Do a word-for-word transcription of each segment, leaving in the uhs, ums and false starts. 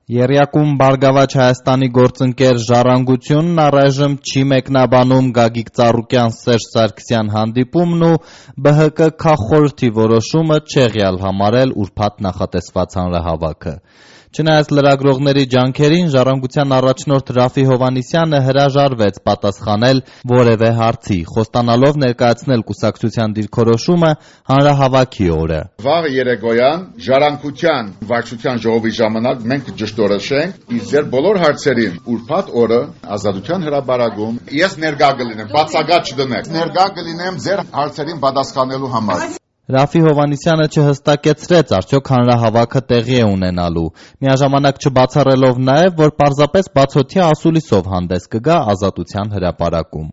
Եռյակում Բարգավաճ Հայաստանի գործընկեր «Ժառանգությունն» առայժմ չի մեկնաբանում Գագիկ Ծառուկյան Սերժ Սարգսյան հանդիպումն ու B H K քաղխորհրդի որոշումը չեղյալ համարել ուրբաթ նախատեսված հանրահավաքը։ Չնայած լրագրողների ջանքերին, Ժառանգության առաջնորդ Ռաֆֆի Հովհաննիսյանը հրաժարվեց պատասխանել որևէ հարցի, խոստանալով ներկայացնել կուսակցության դիրքորոշումը հանրահավաքի օրը։ Վաղ երեկոյան Ժառանգության վարչության ժողովի ժամանակ մենք ճշտորոշենք, իսկ ձեր բոլոր հարցերին ուրբաթ օրը Ազատության հրապարակում ես ներկա կլինեմ, բացակայ չդնեք, ներկա կլինեմ ձեր հարցերին պատասխանելու համար։ Ռաֆֆի Հովհաննիսյանը չհստակեցրեց արդյոք հանրահավաքը տեղի է ունենալու, միաժամանակ չբացառելով նաև, որ պարզապես բացօթյա ասուլիսով հանդես կգա Ազատության հրապարակում։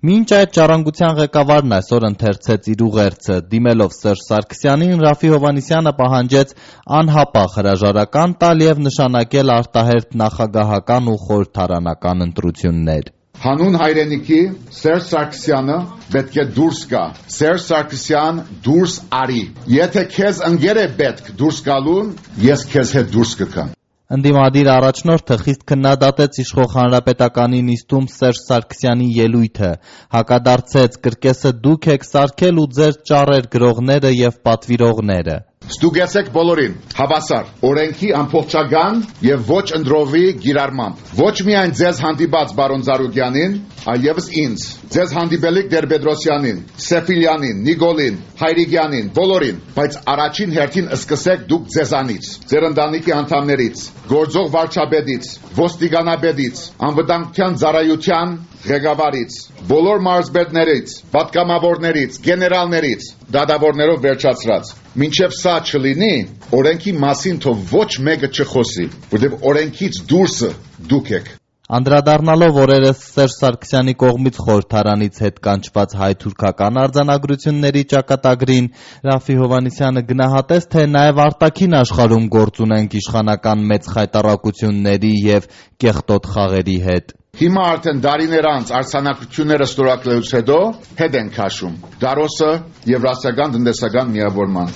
Մինչ այդ Ժառանգության ղեկավարն այսօր ընթերցեց իր ուղերձը, դիմելով Սերժ Սարգսյանին, Ռաֆֆի Հովհաննիսյանը պահանջեց անհապաղ հրաժարական տալ և նշանակել արտահերթ նախագահական ու խորհրդարանական ընտրություններ։ Հանուն հայրենիքի Սերժ Սարգսյանը պետք է դուրս գա։ Սերժ Սարգսյան դուրս արի։ Եթե քեզ ընկեր է պետք դուրս գալուն, ես քեզ հետ դուրս կգամ։ Ընդդիմադիր առաջնորդը խիստ քննադատեց իշխող հանրապետականի նիստում Սերժ Սարգսյանի ելույթը, հակադարձեց կրկեսը դուք եք սարքել ու ձեր ճառեր գրողները և պատվիրողները։ Ստուգեցեք բոլորին, հավասար, օրենքի ամբողջական եւ ոչ ընդրովի գիրառմամբ։ Ոչ միայն ձեզ հանդիպած բարոն Ծառուկյանին, այլևս ինձ, ձեզ հանդիպելիք Տեր-Պետրոսյանին, Սեֆիլյանին, Նիկոլին, Հայրիկյանին, բոլորին, բայց առաջին հերթին սկսեք դուք ձեզանից, ձեր ընտանիքի անդամներից, գործող վարչապետից, ոստիկանապետից, անվտանգության ծառայության ղեկավարից, բոլոր մարզպետներից, պատգամավորներից, գեներալներից, դատավորներով վերջացրած։ Մինչև սա չլինի, օրենքի մասին թող ոչ մեկը չխոսի, որտեղ օրենքից դուրսը դուք եք։ Անդրադառնալով օրերս Սերժ Սարգսյանի կողմից խորհրդարանից հետ կանչված հայ-թուրքական արձանագրությունների ճակատագրին, Ռաֆֆի Հովհաննիսյանը գնահատեց, թե նաև արտաքին աշխարհում գործ ունենք իշխանական մեծ խայտառակությունների և կեղտոտ խաղերի հետ։ Հիմա արդեն դարիներ անց արձանագրությունները ստորագրելուց հետո հետ են քաշում դարոսը եվրասիական տնտեսական միավորման։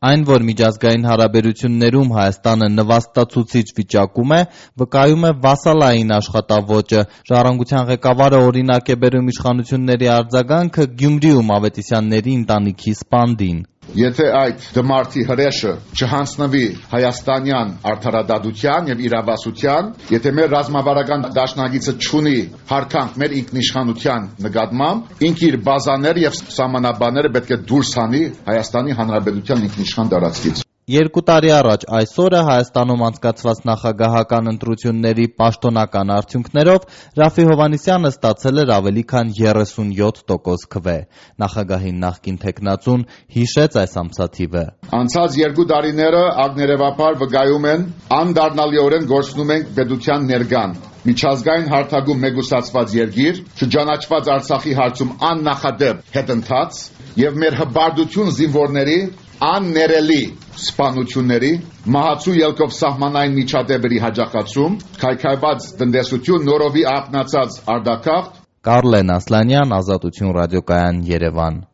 Այն, որ միջազգային հարաբերություններում Հայաստանը նվաստացուցիչ վիճակում է, վկայում է վասալային աշխատավոճը։ Ժառանգության ղեկավարը օրինակ է բերում իշխանությունների արձագանքը Գյումրիում Ավետիսյանների ընտանիքի սպանդին։ Եթե այդ դմարդի հրեշը չհանձնվի հայաստանյան արդարադատության եւ իրավասության, եթե մեր ռազմավարական դաշնակիցը չունի հարկանք մեր ինքնիշխանության նկատմամբ, ինքը իր բազաներ եւ սահմանաբանները պետք է դուրս հանի Հայաստանի Հանրապետության ինքնիշխան տարածքից։ Երկու տարի առաջ այսօրը Հայաստանում անցկացված նախագահական ընտրությունների պաշտոնական արդյունքներով Ռաֆֆի Հովհաննիսյանը ստացել էր ավելի քան երեսունյոթ տոկոս քվե։ Նախագահին նախկին թեկնածուն հիշեց այս ամսաթիվը։ Անցած երկու տարիները ակներևաբար վկայում են անդառնալիորեն գործնում ենք պետության ներկան։ Միջազգային հարթակում մեկուսացված երկիր, չճանաչված Արցախի հարցում աննախադեպ հետընթաց եւ մեր հբարդություն զինվորների աններելի սպանությունների, մահացու ելքով սահմանային միջադեպերի հաջողացում, քայքայված տնտեսություն, նորովի ակնացած արտակարգ։ Կարլեն Ասլանյան, Ազատություն ռադիոկայան, Երևան։